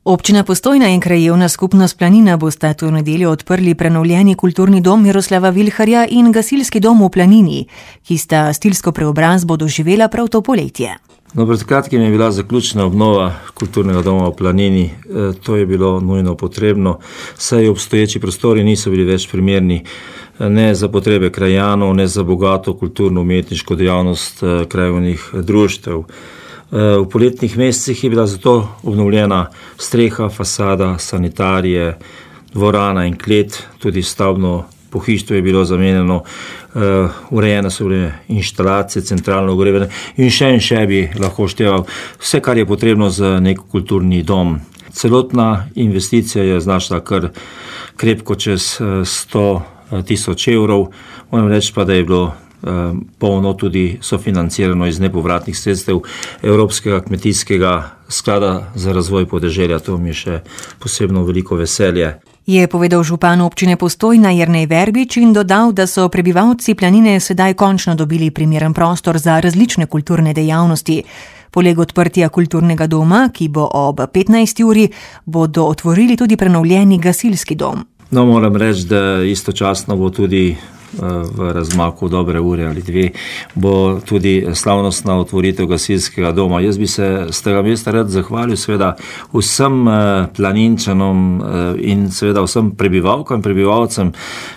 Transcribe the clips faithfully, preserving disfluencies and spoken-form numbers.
Občina Postojna in krajevna skupnost Planina bosta to nedeljo odprli prenovljeni kulturni dom Miroslava Vilharja in gasilski dom v Planini, ki sta stilsko preobrazbo doživela prav to poletje. No, pred kratkim je bila zaključena obnova kulturnega doma v Planini. E, to je bilo nujno potrebno, saj obstoječi prostori niso bili več primerni ne za potrebe krajanov, ne za bogato kulturno-umetniško dejavnost e, krajevnih društev. V poletnih mesecih je bila zato obnovljena streha, fasada, sanitarije, dvorana in klet, tudi stavbno pohištvo je bilo zamenjeno, urejene so bile inštalacije, centralno ogrevanje in še in še bi lahko števal vse, kar je potrebno za nek kulturni dom. Celotna investicija je znašla kar krepko čez sto tisoč evrov, moram reči pa, da je bilo polno tudi sofinancirano iz nepovratnih sredstev Evropskega kmetijskega sklada za razvoj podeželja. To mi je še posebno veliko veselje. Je povedal župan občine Postojna Jernej Verbič in dodal, da so prebivalci Planine sedaj končno dobili primeren prostor za različne kulturne dejavnosti. Poleg odprtja kulturnega doma, ki bo ob petnajsti uri, bodo otvorili tudi prenovljeni gasilski dom. No, moram reči, da istočasno bo tudi v razmaku dobre ure ali dve, bo tudi slavnostna otvoritev gasilskega doma. Jaz bi se z tega mesta rad zahvalil seveda vsem Planinčanom in seveda vsem prebivalkam in prebivalcem,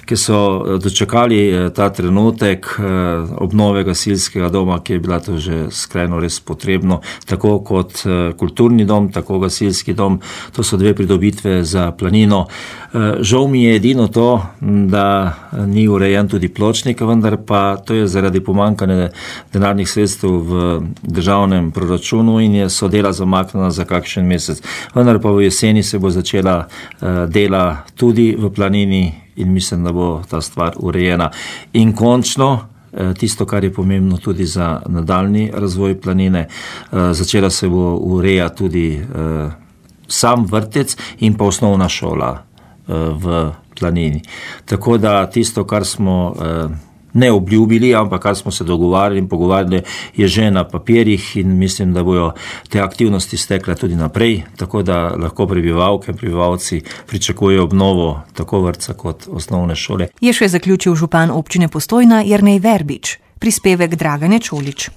ki so dočakali ta trenutek obnove gasilskega doma, ki je bila to že skrajno res potrebno, tako kot kulturni dom, tako gasilski dom. To so dve pridobitve za Planino. Žal mi je edino to, da ni urejen tudi pločnik, vendar pa to je zaradi pomanjkanja denarnih sredstev v državnem proračunu in je so dela zamaknjena za kakšen mesec. Vendar pa v jeseni se bo začela dela tudi v Planini in mislim, da bo ta stvar urejena. In končno, tisto, kar je pomembno tudi za nadaljnji razvoj Planine, začela se bo urejati tudi sam vrtec in pa osnovna šola v Planini. Tako da tisto, kar smo eh, ne obljubili, ampak kar smo se dogovarjali in pogovarjali, je že na papirjih in mislim, da bojo te aktivnosti stekle tudi naprej, tako da lahko prebivalke in prebivalci pričakujejo obnovo tako vrtca kot osnovne šole. Je še zaključil župan občine Postojna Jernej Verbič. Prispevek Dragane Čolič.